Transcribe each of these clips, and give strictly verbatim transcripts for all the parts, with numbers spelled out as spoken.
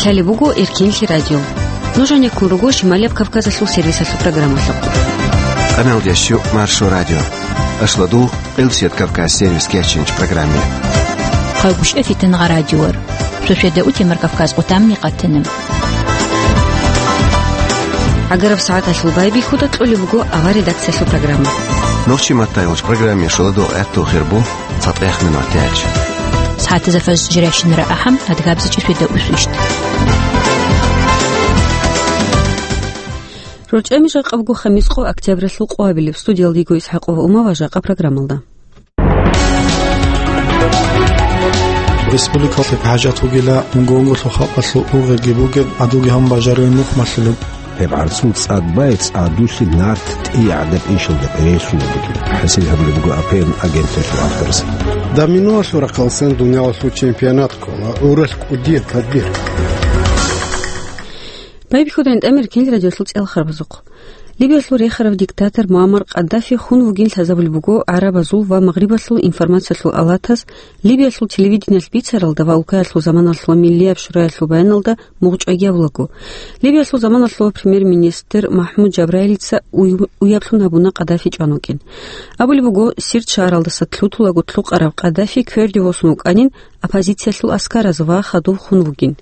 Лъалеб буго Эркенлъи радио. Нуж гьанеккун руго Шималияб Кавказалъул сервисалъул программалъухъ. Канал дящу Маршо радио. Ашладу Къилсият Кавказ сервис кечинч программе. Хъагушев Фитнагъа радиор. Шошеда утемар Кавказ къутамни къатанам. Агараб сагӀаталъул байбихьуда кьолеб буго авар редакциялъул программа. Нохчи маттайгъулч программе шуладу гӀатту хирбу. ЦатӀехъ минут тяч. СагӀатазда фажр жиращинара ахӀам, адгабзичӀи шуйда усвищт. РорчӀами жакъабго хамис къо октябралъул къоабилеб. Студиялда йиго ИсхӀакъова Ума ва жакъа программалда. Республикалъе хӀажат вугила унго-унголъул халкъалъул ургъелги бугеб, гӀадуги гьабун бажарулеб нух малъулеб. Гьеб гӀарцул цӀад бай цӀадулъи нарт тӀи гӀадаб иншалда перейсулеб бугеб, хӀасил гьабулеб буго АПН агенталъул авторзаб. Доминоялъул рахъалсан дуниялалъул чемпионат ккола гӀуралъ кӀудияб тадбир. Байбихьуда гӀинтӀамир кинил радиолъул цӀел харбазухъ. Либиялъул рехарав диктатор Муаммар Къаддафи хун вугин лъазабулеб буго гӀарабазул ва Магърибалъул информациялъул алатаз Либиялъул телевидениялъ бицаралда ва улкаялъул заманалъ ва Миллияб шураялъул баяналда мугъчӀвайги абулаго. Либиялъул заманалъул премьер-министр МахӀмуд Жабраилица уй-, уяблъун гьабуна Къаддафи чӀван вукӀин. Абулеб буго, Сирт шагьаралдаса лъутулаго лъукъараб Къаддафи кверде восун вукӀанин оппозициялъул аскараз ва хадуб хун вугин.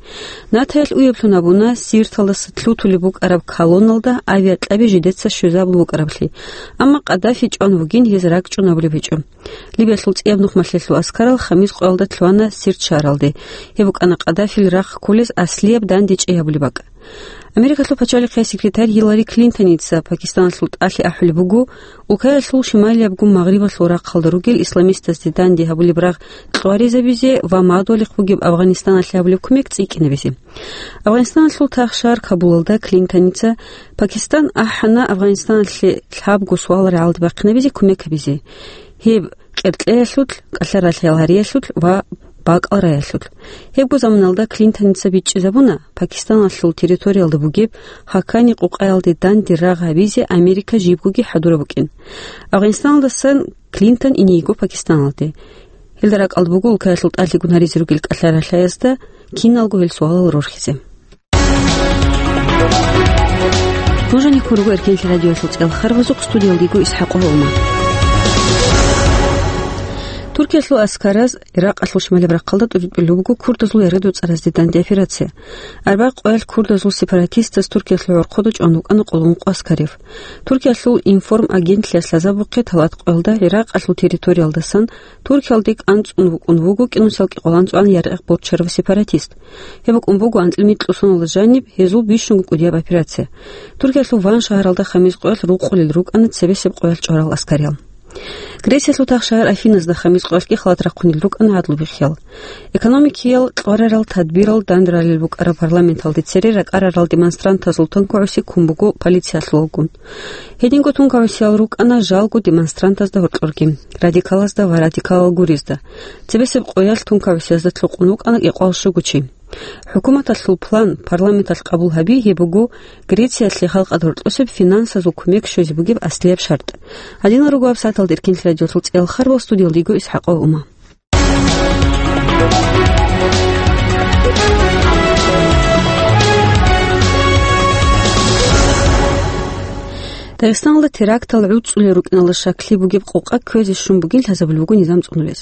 Натаялъ уяблъун гьабуна Сирталдаса лъутулеб букӀараб колонналда авиакьаби жидеца щвезабун букӀараблъи. Амма Къаддафи чӀван вугин гьез ракӀчӀун абулеб гьечӀо. Либиялъул цӀияб нухмалъелъул аскарал хамис къоялда лъугьана Сирт шагьаралде. Гьеб букӀана Къаддафил рахъ кколез аслияб дандечӀей гьабулеб бакӀ. Америкалъул пачалихъе секретарь Гьиллари Клинтоница Пакистаналъул тӀалъи ахӀулеб буго, улкаялъул шималиябгун Магърибалъул рахъалда ругел исламистазде данде гьабулеб рагъ кьваризабизе ва мадугьалихъ бугеб Афгъанистаналъе гьабулеб кумек цӀикӀкӀинабизе. Афгъанистаналъул тахшар Кабулалда Клинтоница Пакистан ахӀана Афгъанистаналъе лъабго суалал рагӀалде бахъинабизе кумек гьабизе. Гьеб къеркьеялъулъ, кӀалъаралъиял гьариялъулъ ва бакӀал раялъулъ. Гьебго заманалда Клинтоница бичӀчӀизабуна Пакистаналъул территориялда бугеб Хакани къукъаялде данде рагъ гьабизе Америка жибгоги хӀадураб букӀин. Афгъанистаналдасан Клинтон ине йиго Пакистаналде. Гьелда ракӀалда буго улкаялъул тӀалъигун гьаризе ругел кӀалъаралъаязда киналго гьел суалал рорхизе. Нуж гьанеккун руго Эркенлъи радиоялъул цӀел харбазухъ, студиялда йиго ИсхӀакъова Ума. Туркиялъул аскараз Иракъалъул шималаб рахъалда тӀуритӀулеб буго курдазул яргъи доцӀаразде данде операция. Арбагъ къоялъ курдазул сепаратистаз Туркиялъул гӀорхъода чӀван вукӀана къулгъункъо аскарив. Туркиялъул Информ агентлъиялъ лъазабухъе талат къоялда Иракъалъул территориялдасан Туркиялде кӀанцӀун вукӀун вуго кӀинусал кӀикъоялда анцӀгоялда яргъи борчарав сепаратист. Гьеб букӀун буго анцӀил микьусуналда жаниб гьезул бищунго кӀудияб операция. Туркиялъул Ван шагьаралда хамис къоялъ рукъулел рукӀана цебесеб къоялъ чӀварал аскариял. Грециялъул тахшагьар Афиназда хамис къоялъги халат рахъунел рукӀана гӀадлу бихъиял. Экономикиял кьварарал тадбирал дандралел букӀараб парламенталде цере ракӀарарал демонстрантазул тункагӀуси ккун буго полициялъулагун. Гьединго тункагӀусиял рукӀана жалго демонстрантазда гьоркьорги, радикалазда ва радикалал гурезда. Цебесеб къоялъ тункагӀусиязда лъукъун вукӀана кӀикъоялда щуго чи. ХӀукуматалъул план парламенталъ къабул гьаби, гьеб буго Грециялъе халкъалда гьоркьосеб финансазул кумек щвезе бугеб аслияб шартӀ. Гьадинал руго гьаб сагӀаталда Эркенлъи радиоялъул цӀел харбал, студиялда йиго ИсхӀакъова Ума. Дагъистаналда терактал гӀуцӀулел рукӀиналда щаклъи бугеб къокъа кквезе щун бугин лъазабулеб буго низам цӀунулез.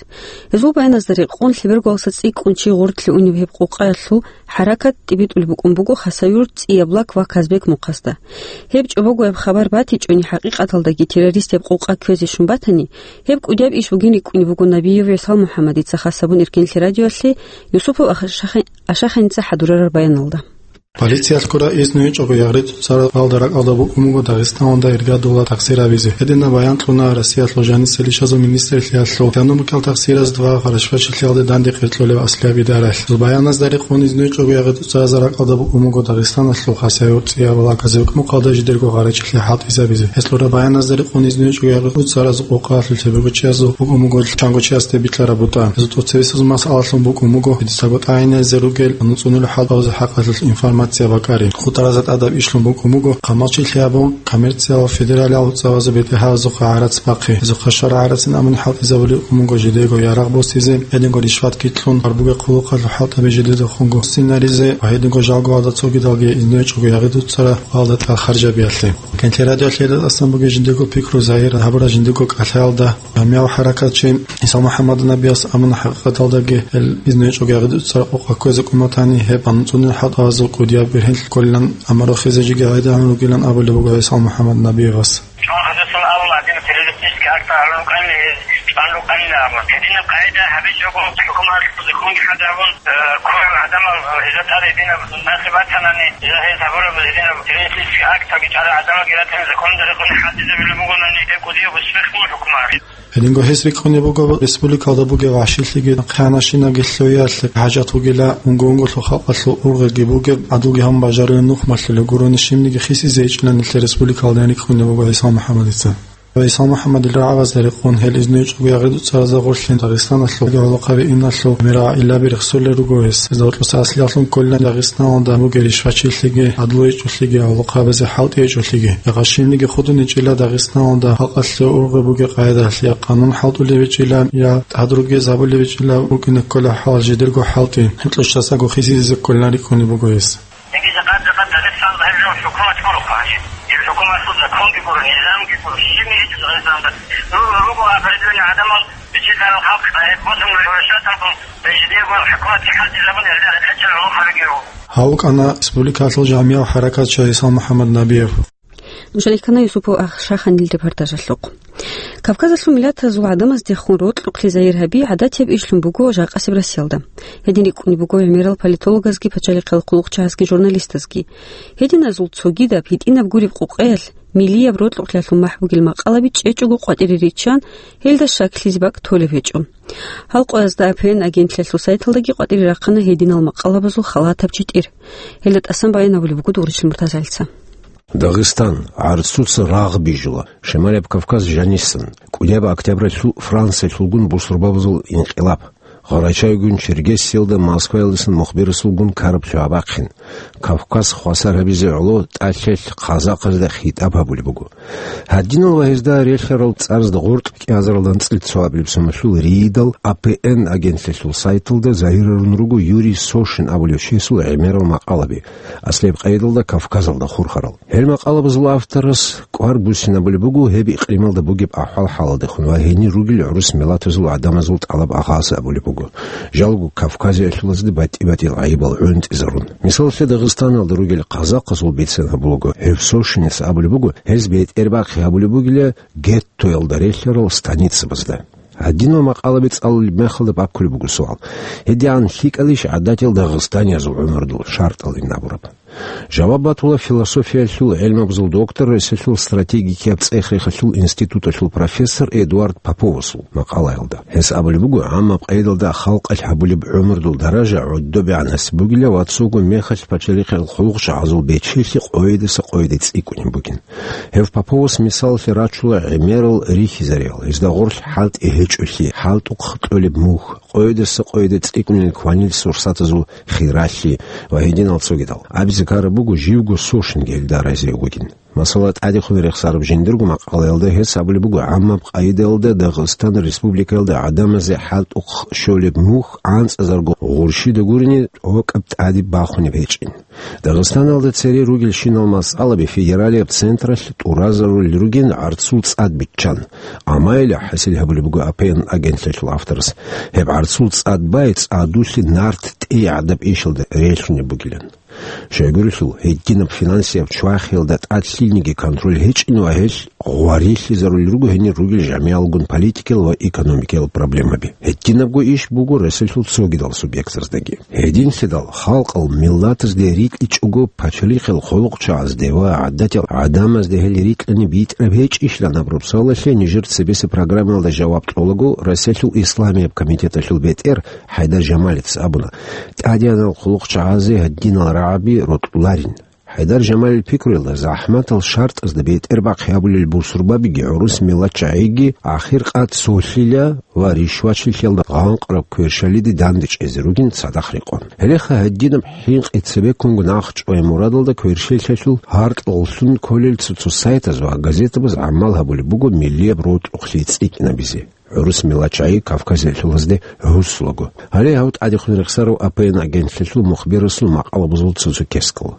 Гьезул баяназда рекъон, лъебергоялдаса цӀикӀкӀун чи гъорлъе унеб гьеб къокъаялъул хӀаракат тӀибитӀулеб букӀун буго Хасавюрт, ЦӀияб Лак ва Казбек мухъасда. Гьеб чӀобогояб хабар батичӀони, хӀакъикъаталдаги террорист гьеб къокъа кквезе щун батани, гьеб кӀудияб иш бугин рикӀкӀунеб буго Набиев ГӀиса МухӀаммадица хас гьабун Эркенлъи радиоялъе Юсупов Ашахин-, Ашахиница хӀадурараб баяналда. Полициялъ ккураб изну гьечӀого ягъри цоцазаралда ракӀалда букӀун буго Дагъистаналда иргадула тахсир гьабизе. Гьединаб баян кьуна Россиялъул жанисел ишазул министрлъиялъул экономикал тахсиразда ва гъарачӀвачилъиялде данде къеркьулеб аслияб идаралъ. Баяназда рекъон, изну гьечӀого ягъри цоцазаралда ракӀалда букӀун буго Дагъистаналъул Хасавюрт, ЦӀияб Лак, Казбек мухъалда жидерго гъарачӀилъи хӀалтӀизабизе. Гьелъул баяназда рекъон, изну гьечӀого ягъри цоцазаралда къокъаялъул лъеберго чиясул букӀун буго чанго чиясде битӀараб бутӀа. Гьезул тӀоцебесеб масъалалъун букӀун буго, гьедицаго тӀагӀиназе ругел нуцӀунел хӀалтӀабазул хӀакъалъулъ информация Нация бакӀари. ХутӀаразда тӀадаб ишлъун букӀун буго, хъамачилъи абун, коммерциялъул федералиялъул цӀабазул бетӀергьабазухъа гӀарац бахъи. Гьезухъа шаргӀ гӀарацин абун хӀалтӀизабулеб букӀун буго жидего ярагъ босизе, гьединго ришватги кьун, гьарбуге хъулухъалъул хӀалтӀаби жидедехунго синаризе ва гьединго жалгоялда цогидалги изнугьечӀого ягъи дуцӀцӀараб къоялда тӀад харжабиялъе. Кенлъи радиоялъ гьелда тӀасан бугей жиндирго пикру загьир гьабураб жиндирго кӀалъаялда, жамигӀав хӀаракатчи ГӀиса МухӀаммад Набияс абуна, хӀакъикъаталдаги гьел изнугьечӀого ягъи дуцӀцӀараб къокъ кквезе кӀун батани, гьеб анцӀунел хӀалтӀабазул кӀудияб бергьенлъи кколилан, амма рохизе жеги гӀайдагӀун ругилан абулеб буго ГӀиса МухӀаммад Набиевас. ЧӀван гьадасан абула, гьадинаб террористический акт гьарун рукӀанила гьез, чӀван рукӀанила абула. Гьединаб къагӀида гьабичӀого, хӀукуматалъул законги хӀадабун, э, ккурал гӀадамал, э, гьезда тӀад гьединаб нахъе батанани, гьезда гьез гьабураб гьединаб террористический актаги чӀарал гӀадамалги ратани законалда рекъони хӀалтӀизабулеб бугонани, гьеб кӀудияб успех буго хӀукуматалъе. Гьединго гьес рикӀкӀунеб буго, республикалда бугеб вагӀшилъиги, хъанашинаги лъугьиялъе хӀажат бугила, унго-унгоялъул халкъалъул ургъиги бугеб, гӀадулги гьабун бажарулел нухмалъулел гурони щибниги хисизе гьечӀилан нилъер республикалда рикӀкӀунеб буго ГӀиса МухӀаммадица. ГӀиса МухӀаммадил рагӀабазе рекъон гьел изнугьечӀого ягъи дуцӀцӀаразда гъорлъ Дагъистаналъул гӀолохъаби иналъул мера-гӀиллаби рехсолел руго гьес. Гьезда гьоркьоса аслиялъун кколилан Дагъистаналда бугеб ришвачилъиги, гӀадлуечӀолъиги, гӀолохъабазе хӀалтӀиечӀолъиги. Гьагъа щибниги худуничӀила Дагъистаналда халкъалъе ургъи бугеб къагӀидалъ я къанун хӀалтӀулеб гьечӀила, я тӀад ругезабулеб гьечӀила, букӀине ккола хӀал жидерго хӀалтӀи, гьеб кьучӀдасаго хисизезе кколилан рикӀкӀунеб буго гьес. Дица къад-къад Дагъистаналда гьеб жо хӀукумат гуро, хъанчи. Гьеб хӀукуматалъул законги гуро, низамги гуро, щибни гьечӀо Дагъистаналда. Ру-, руго определённый гӀадамал, бичӀчӀизарал халкъ, гьеб босун превращаталгун, жидеего хӀукуматги хӀалтӀизабун, гьелда гьечӀеб гӀолохъабиги руго. Гьав вукӀана республикалъул жамигӀав хӀаракатчи ГӀиса МухӀаммад Набиев. Нушалихъана Юсупов Ахшаханил репортажалъухъ. Кавказалъул миллатазул гӀадамаздехун рокьухълъи загьир гьаби гӀадатияб ишлъун буго жакъасеб Россиялда. Гьедин рикӀкӀунеб буго гӀемерал политологазги пачалихъал хъулухъчагӀазги журналистазги. Гьединазул цогидаб гьитӀинаб гуреб къукъаялъ миллияб рокьухълъиялъул махӀ бугел макъалаби чӀечӀого къватӀире риччан, гьелда щаклъизе бакӀ толеб гьечӀо. Гьал къоязда А П Н агентлъиялъул сайталдаги къватӀире рахъана гьединал макъалабазул халатаб читӀир. Гьелда тӀасан баян гьабулеб буго Дугъричил МуртазагӀилица. Дагъистан, гӀарцуца рагъ бижула, Шималияб Кавказ жанисан, кӀудияб октябралъул Франциялъулгун бусурбабазул инкъилаб, гъарачайгун Черкессиялда Москваялдасан мухберасулгун караб цо абахъин, Кавказ хвасар гьабизе гӀоло тӀалъелъ казахъазда хитӀаб гьабулеб буго. Гьадинал ва гьезда релълъарал цӀаразда гъоркь кӀиазаралда анцӀила цоабилеб соналъул риидал А П Н агентлъиялъул сайталда загьирарун руго Юрий Сошин абулев чиясул гӀемерал макъалаби, аслияб къайдалда Кавказалда хурхарал. Гьел макъалабазул авторас кӀвар буссинабулеб буго гьеб икълималда бугеб ахӀвал-хӀалалдехун ва гьенир ругел гӀурус миллатазул гӀадамазул тӀалаб агъаз абулеб буго, жалго кавказиялъулазда батӀи-батӀиял гӀайибал гӀунтӀизарун. Мисалалъе, Дагъистаналда ругел казахъазул бицен гьабулаго, гьев Сошинас абулеб буго, гьез бетӀербахъи гьабулеб бугила геттоялда релълъарал станицабазда. Гьадинал макъалаби цӀалулеб мехалда баккулеб буго суал: гьедигӀан лъикӀалищ гӀадатиял дагъистаниязул гӀумрудул шартӀалин абураб? Жаваб батула философиялъул гӀелмабазул доктор, Росиялъул стратегикияб цӀех-рехалъул институталъул профессор Эдуард Поповасул макъалаялда. Гьес абулеб буго, гӀаммаб къайдалда халкъалъ гьабулеб гӀумрудул даража гӀодобегӀан гьасиб бугила ва цого мехалъ пачалихъал хъулухъчагӀазул бечелъи къойидаса къойиде цӀикӀкӀунеб бугин. Гьев Поповас мисалалъе рачула гӀемерал рихьизариял, гьезда гъорлъ хӀалтӀи гьечӀолъи, хӀалтӀухъ кьолеб мухь, къойидаса къойиде цӀикӀкӀунел кванил сурсатазул хиралъи ва гьединал цогидал. Абизе ккараб буго, живго Сошинги гьелда разиав вугин. Масала, тӀадехун рехсараб жиндирго макъалаялда гьес абулеб буго, гӀаммаб къайдалда Дагъистан Республикаялда гӀадамазе хӀалтӀухъ щолеб мухь анцӀазарго гъурщида гурони тӀокӀаб тӀаде бахунеб гьечӀин. Дагъистаналда цере ругелщинал масъалаби федералияб централъ тӀуразарулел ругин гӀарцул цӀад биччан. Амма гьеле хӀасил гьабулеб буго А П Н агентлъиялъул авторас, гьеб гӀарцул цӀад бай цӀадулъе нарт тӀей гӀадаб ишалда релълъунеб бугилан. Щайгурелъул, гьединаб финансияб чвахиялда тӀад лъилниги контроль гьечӀин ва гьелъ гъварилъизарулел руго гьенир ругел жамигӀалгун политикиял ва экономикиял проблемаби. Гьединабго иш буго Росиялъул цогидал субъектаздаги. Гьединлъидал халкъал миллатазде рикьичӀого пачалихъал хъулухъчагӀазде ва гӀадатиял гӀадамазде гьел рикьани битӀараб гьечӀищилан абураб суалалъе нижер цебесеб программаялда жаваб кьолаго, Росиялъул исламияб комитеталъул бетӀер ХӀайдар Жамалица абуна: тӀадегӀанал хъулухъчагӀазе гьадинал рагӀаби рокьуларин. ХӀайдар Жамалил пикруялда, захӀматал шартӀазда бетӀер бахъи гьабулел бусурбабиги гӀурус миллатчагӀиги ахир къад цолъила ва ришвачилъиялда гъанкъраб кверщалиде дандечӀезе ругин цадахъ рекъон. Гьелеха гьединаб хӀинкъи цебеккунго нахъчӀвай мурадалда кверщелъалъул гьаркьалъун кколел цо-цо сайтаз ва газетабаз гӀамал гьабулеб буго миллияб рокьухълъи цӀикӀкӀинабизе. ГӀурус миллатчагӀи Кавказалъулазде гӀусулаго. Гьале гьав тӀадехун рехсарав А П Н агентлъалъул мухбирасул макъалабазул цо-цо кескал.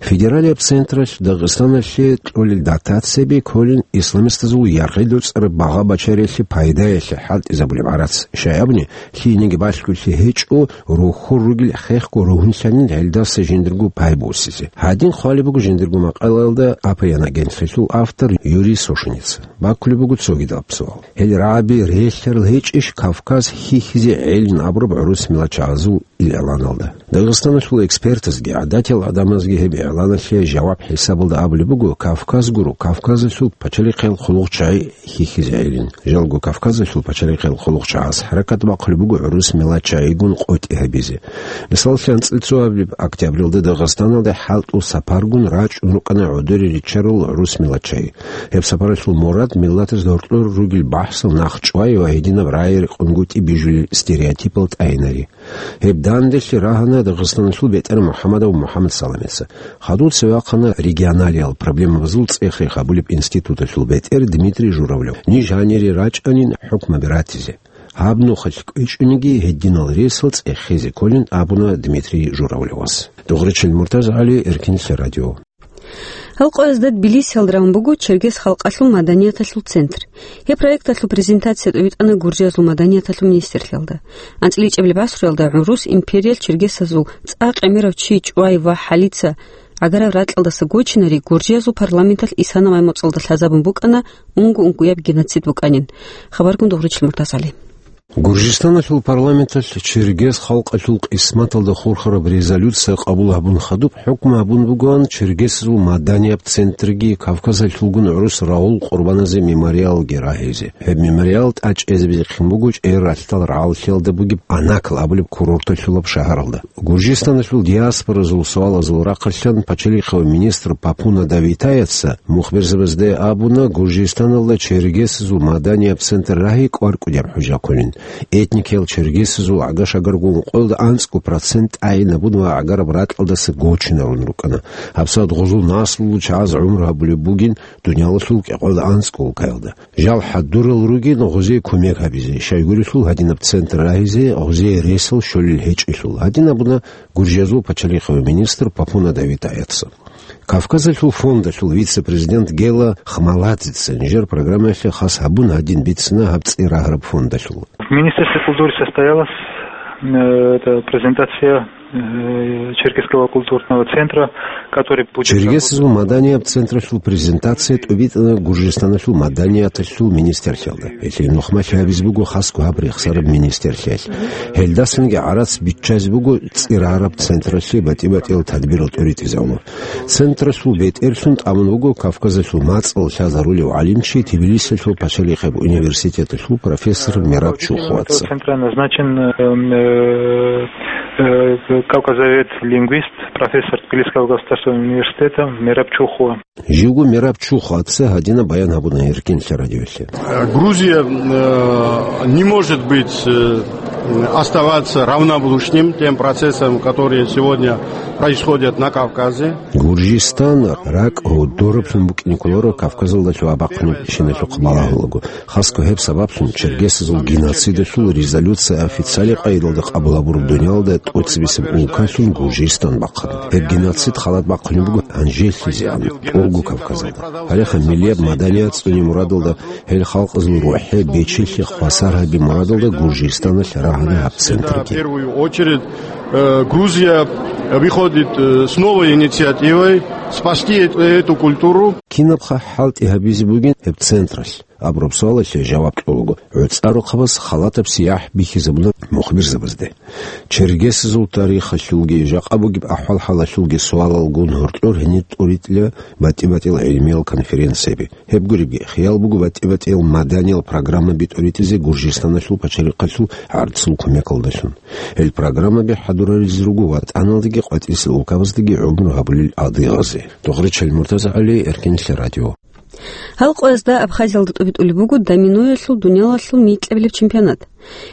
Федералияб централъ Дагъистаналъе кьолел дотацияби кколин исламистазул яргъи доцӀараб багъа-бачариялъе пайдаялъе хӀалтӀизабулеб гӀарац, щай абуни, лъиениги балъголъи гьечӀо, рохьор ругел хехго ругьунлъанин гьелдаса жиндирго пай босизе. Гьадин хъвалеб буго жиндирго макъалаялда А П Н агентлъалъул автор Юрий Сошеница. Баккулеб буго цогидаб суал. Гьел рагӀаби релълъарал гьечӀищ Кавказ хьихьизе гӀелин абураб гӀурус миллатчагӀазул игӀланалда? Дагъистаналъул экспертазги гӀадатиял гӀадамазги гьеб игӀланалъе жаваб хӀисабалда абулеб буго: Кавказ гуро, Кавказалъул пачалихъел хъулухъчагӀи хьихьизе гӀелин. Жалго Кавказалъул пачалихъел хъулухъчагӀаз хӀаракат бахъулеб буго гӀурус миллатчагӀигун къотӀи гьабизе. Мисаллъи, анцӀила цоабилеб октябралда Дагъистаналде хӀалтӀул сапаргун рачӀун рукӀана гӀодоре риччарал гӀурус миллатчагӀи. Гьеб сапаралъул мурад миллатаз гьоркьор ругел бахӀсал нахъчӀвай ва гьединаб рагӀи-рекъонгутӀи бижулел стереотипал тӀагьинари. Гьеб данделъи рагьана Дагъистаналъул бетӀер МухӀаммадов МухӀаммад Саламица. Хадув цеве вахъана регионалиял проблемабазул цӀех-рех гьабулеб институталъул бетӀер Дмитрий Журавлев. Ниж гьанире рачӀанин хӀукмаби ратизе. Гьаб нухалъ кӀвечӀониги гьединал ресал цӀехезе кколин абуна Дмитрий Журавлевас. Дугъричил Муртаза ГӀали, Эркинлъи радио. Гьал къоязда Тбилисиялда рагӀун буго чергес халкъалъул маданияталъул центр. Гьеб проекталъул презентация тӀовитӀана Гуржиязул маданияталъул министрлъиялда. АнцӀила ичӀабилеб гӀасруялда гӀурус империял чергесазул цӀакъ гӀемерав чи ЧӀвай ва ХӀалица гӀагараб ракьалдаса гочинари Гуржиязул парламенталъ исана маймуцӀалда лъазабун букӀана, унго-унгояб геноцид букӀанин. Хабаргун Дугъричил Муртаза ГӀали. Гуржистаналъул парламенталъ чергес халкъалъул къисматалда хурхараб резолюция къабул гьабун хадуб, хӀукму гьабун бугоан чергесазул маданияб центрги, Кавказалъулгун гӀурус рагъул къурбаназе мемориалги рагьизе. Гьеб мемориал тӀачӀезабизехъин буго чӀей ралъдал рагӀаллъиялда бугеб Анакл абулеб курорталъулаб шагьаралда. Гуржистаналъул диаспоразул суалазул рахъалъан пачалихъав министр Папуна Давитаяца мухберзабазде абуна, Гуржистаналда чергесазул маданияб центр рагьи кӀвар-кӀудияб хӀужа кколин. Этникиял чергесазул гӀага-шагаргун къоялда анцӀго процент тӀагӀинабун ва гӀагараб ракьалдаса гочинарун рукӀана. ГьабсагӀат гъузул наслулул чагӀаз гӀумру гьабулеб бугин дуниялалъул кӀикъоялда анцӀго улкаялда. Жал хӀадурал ругин гъузе кумек гьабизе, щайгурелъул гьадинаб центр рагьизе гъузе ресал щолел гьечӀелъул, гьадин абуна Гуржиязул пачалихъав министр Папуна Давитаяца. Кавказалъул фондалъул вице-президент Гела Хмаладзеца нижер программаялъе хас гьабун гьадин бицина гьаб цӀи рагьараб фондалъул. В Министерстве культуры состоялась, э, это, презентация, э, Черкесского культурного центра, который будет Чергесазул маданияб централъул презентация тӀубитӀана Гуржистаналъул маданияталъул министрлъиялда. Гьелъие нухмалъи гьабизе буго хасго гьаб рехсараб министрлъиялъ. Гьелдасанги гӀарац биччазе буго цӀи рагьараб централъе батӀи-батӀиял тадбирал тӀуритӀизавула. Централъул бетӀерлъун тӀамун вуго Кавказалъул мацӀал лъазарулев гӀалимчи, Тбилисиялъул пачалихъеб университеталъул профессор Мераб Чухваца. Центра назначен, э, э, э, кавказовед, лингвист, профессор Тбилисского государственного университета Мераб Чухва. Живго Мераб Чухваца гьадинаб баян гьабуна Эркинлъи радиоялъе. Грузия, э, не может быть, э, оставаться равнодушным тем процессам, которые сегодня происходят на Кавказе. Гуржистан ракӀ гьодораблъун букӀине кколаро Кавказалда лъугьа-бахъунебщиналъухъ балагьулаго. Хасго гьеб сабаблъун чергесазул геноцидалъул резолюция официалияб къайдалда къабул гьабураб дуниялалда тӀоцебесеб улкалъун Гуржистан бахъана. Гьеб геноцид халат бахъунеб буго гьанжелъизегӀан тӀолго Кавказалда. Гьалеха миллияб маданият цӀуне мурадалда гьел халкъазул рухӀе бечелъи хвасар гьаби мурадалда Гуржистаналъ рагьана гьаб центрги. В первую очередь, э, Грузия выходит, э, с новой инициативой спасти эт-, эту культуру. Кинабха хӀалтӀи гьабизе бугин гьеб централъ? абураб суалалъе жаваб кьолаго, гӀуцӀа рохъабаз халатаб сияхӀ бихьизабуна мухбирзабазде. Чергесазул тарихалъулги жакъа бугеб ахӀвал-хӀалалъулги суалал гун гьоркьор гьенир тӀуритӀила батӀи-батӀиял гӀилмиял конференцияби. Гьеб гуребги, хиял буго батӀи-батӀиял маданиял программаби тӀуритӀизе Гуржистаналъул пачалихъалъул гӀарцул кумекалдалъун. Гьел программаби хӀадураризе руго ВатӀаналдаги къватӀирсел улкабаздаги гӀумру гьабулел адыгъазе. Догъри Чалмуртаз ГӀали, Эркенлъи радио. Гьал къоязда Абхазиялда тӀобитӀулеб буго доминоялъул дуниялалъул микьабилеб чемпионат.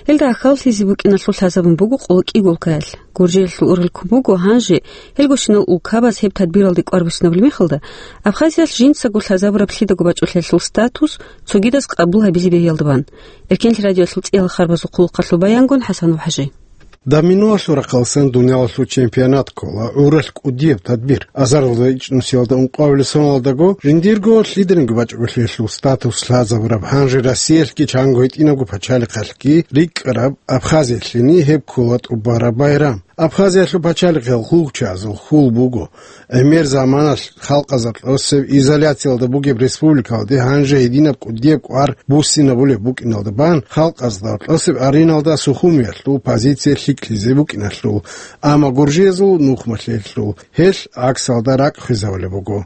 Гьелда ахьаллъизе букӀиналъул лъазабун буго къоло кӀиго улкаялъ. Гуржиялъул ургъел ккун буго гьанже гьелгощинал улкабаз гьеб тадбиралде кӀвар буссинабулеб мехалда, Абхазиялъ жинцаго лъазабураб лъидаго бачӀолъиялъул статус цогидаз къабул гьабизе бегьиялда бан. Эркенлъи радиоялъул цӀиял харбазул хъулухъалъул баянгун ХӀасанов ХӀажи. Доминоялъул рахъалсан дуниялалъул чемпионат ккола гӀуралъ кӀудияб тадбир. Азаралда ичӀнусиялда ункъабилеб соналдаго жиндирго лъиданиги бачӀолъиялъул статус лъазабураб гьанже Россиялъги чанго гьитӀинабго пачалихъалъги рикӀкӀараб Абхазиялъени гьеб ккола тӀубараб байрам. Абхазиялъул пачалихъал хьулчазул хьул буго. ГӀемер заманалъ халкъазда тӀосеб изоляциялда бугеб республикалде гьанже гьединаб кӀудияб кӀвар буссинабулеб букӀиналда бан, халкъазда тӀосеб ареналда Сухумиялъул позиция лъикӀлъизе букӀиналъул, амма гуржиязул нухмалъиялъул гьелъ гӀаксалда ракӀ хвезабулеб буго.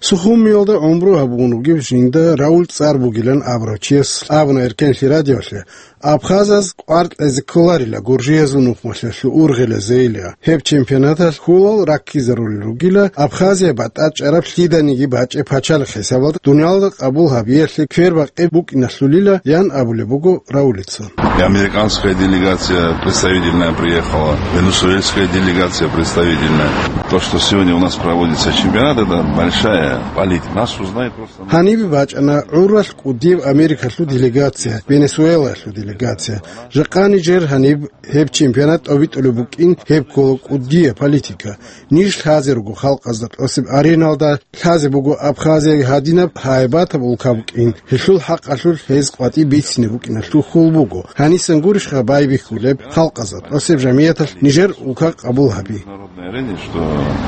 Сухумиялда гӀумру гьабун вугев жинда Рауль цӀар бугилан абурав чияс абуна Эркенлъи радиолъе, абхазаз кӀвар кьезе кколарила гуржиязул нухмалъиялъул ургъелазейилан. Гьеб чемпионаталъ хьулал раккизарулел ругила, Абхазия батӀачӀараб лъиданиги бачӀеб пачалихъ хӀисабалда дуниялда къабул гьабиялъе квербакъи букӀиналъулила, ян абулеб буго Раулица. И американская делегация, представительная, приехала, венесуэльская делегация представительная. То, что сегодня у нас проводится чемпионат, это большая политика. Нас узнают просто. Гьанибе бачӀана гӀуралъ кӀудияб Америкалъул делегация, Венесуэлаялъул делегация. Жакъа нижер гьаниб гьеб чемпионат тӀобитӀулеб букӀин, гьеб ккола кӀудияб политика. Ниж лъазе руго халкъазда тӀосеб ареналда, лъазе буго Абхазия гьадинаб гьайбатаб улка букӀин, гьелъул хӀакъалъулъ гьез къватӀиб бицине букӀиналъул хьул буго. Гьанисан гурищха байбихьулеб халкъазда тӀосеб жамияталъ нижер улка къабул гьаби? Народной арене, что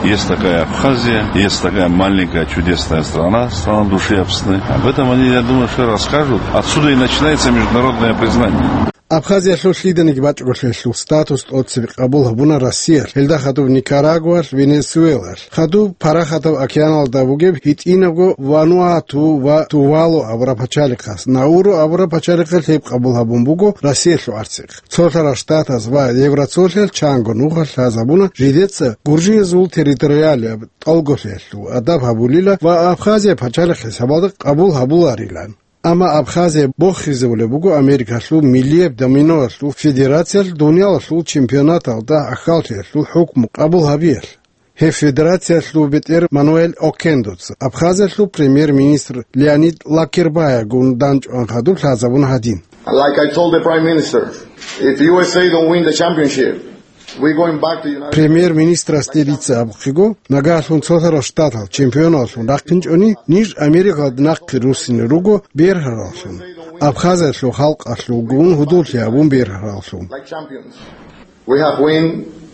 есть такая Абхазия, есть такая маленькая чудесная страна, страна души Абхазии. Об этом они, я думаю, что расскажут. Отсюда и начинается международное признание. Абхазиялъул лъиданиги бачӀголъиялъул статус тӀоцебе къабул гьабуна Россиялъ, гьелда хадуб Никарагуалъ, Венесуэлаялъ, хадуб Парахатав океаналда бугеб гьитӀинабго Вануату ва Тувалу абураб пачалихъас, Науру абураб пачалихъалъ гьеб къабул гьабун буго Россиялъул гӀарцихъ. Цолъарал Штатаз ва Евроцолъиялъ чанго нуха лъазабуна жидеца гуржиязул территориалияб тӀалголъиялъул адаб гьабулила ва Абхазия пачалихъ хӀисабалда къабул гьабуларилан. Амма Абхазия бохизабулеб буго Америкалъул миллияб доминоялъул федерациялъ дуниялалъул чемпионаталда ахьаллъиялъул хӀукму къабул гьабиялъ. Гьеб федерациялъул бетӀер Мануэль Окендоца Абхазиялъул премьер-министр Леонид Лакербаягун данчӀван хадуб лъазабун гьадин. Like I told the Prime Minister, if U S A don't win the championship, we're going back to United States. Премьер-министрасде дица абухъего, нагагьлъун цолъарал штатал чемпионаллъун рахъинчӀони, ниж Америкалда нахъе руссине руго бергьараллъун, Абхазиялъул халкъалъулгун гьудуллъи гьабун бергьараллъун. Like champions. We have win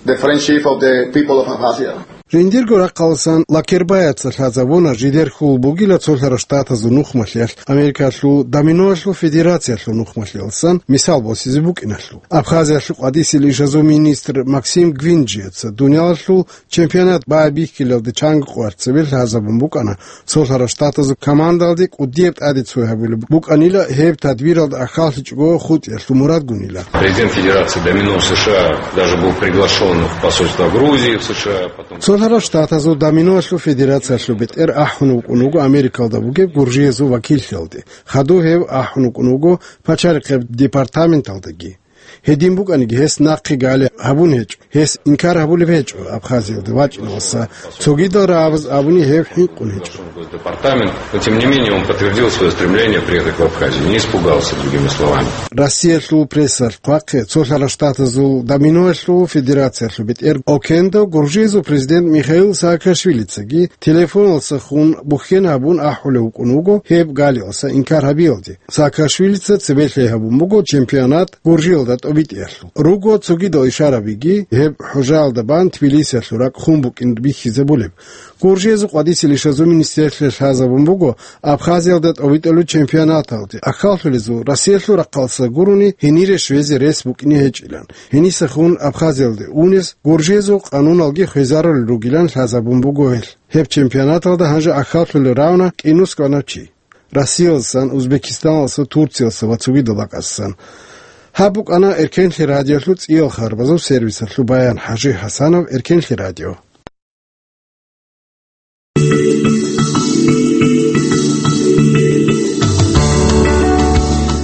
the friendship of the people of Abkhazia. Жиндирго рахъалсан Лакербаяца лъазабуна жидер хьул бугила цолъарал штатазул нухмалъиялъ Америкалъул доминоялъул федерациялъул нухмалъиялсан мисал босизе букӀиналъул. Абхазиялъул къватӀисел ишазул министр Максим Гвинджияца дуниялалъул чемпионат байбихьилалде чанго къварцабе лъазабун букӀана, цолъарал штатазул командалде кӀудияб тӀаде цой гьабулеб букӀанила, гьеб тадбиралда ахьаллъичӀого хутӀиялъул мурадгунила. Президент Федерации домино в С Ш А даже был приглашен в посольство Грузии в С Ш А, потом. Цолъарал штатазул доминоялъул федерациялъул бетӀер ахӀун вукӀун вуго Америкалда бугеб гуржиязул вакиллъиялде. Хадуб гьев ахӀун вукӀун вуго пачалихъеб департаменталдаги. Гьедин букӀаниги, гьес нахъе гали гьабун гьечӀо, гьес инкар гьабулеб гьечӀо Абхазиялда вачӀиналдаса, цогидал рагӀабаз абуни гьев хӀинкъун гьечӀо. Департамент, но тем не менее он подтвердил свое стремление приехать в Абхазию, не испугался, другими словами. Россиялъул прессалъ хъвахъе, цолъарал штатазул доминоялъул федерациялъул бетӀер Окендо гуржиязул президент Михаил Саакашвилицаги телефоналдаса хун бухьен гьабун ахӀулев вукӀун вуго гьеб галиялдаса инкар гьабиялде. Саакашвилица цебе лъай гьабун буго чемпионат Гуржиялда тӀобитӀиялъул. Руго цогидал ишарабиги, Гьеб хӀужаялда бан Тбилисиялъул ракӀ хун букӀин бихьизабулеб. Гуржиязул къвадисел ишазул министерствалъ лъазабун буго Абхазиялда тӀобитӀулел чемпионаталде ахӀаллъулезул Россиялъул рахъалъа гурони гьенире щвезе рес букӀине гьечӀилан. Гьенисехун Абхазиялде унес гуржиязул къануналги хвезарулел ругилан лъазабун буго гьелъ. Гьеб чемпионаталда гьанже ахӀаллъулел равна кӀинус кӀванав чи. Россиялдасан, Узбекистаналдаса, Турциялдаса ва цогидал ракӀалдасан. Гьаб букӀана Эркенлъи радиолъул цӀиял харбазул сервисалъул баян. ХӀажи ХӀасанов, Эркенлъи радио.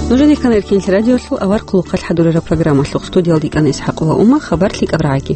Нужеде ккана Эркенлъи радиолъул авар хъулухъалъ хӀадурараб программалъухъ. Студиялда йикӀана ИсхӀакъова Ума, хабар лъикӀаб рагӀаги.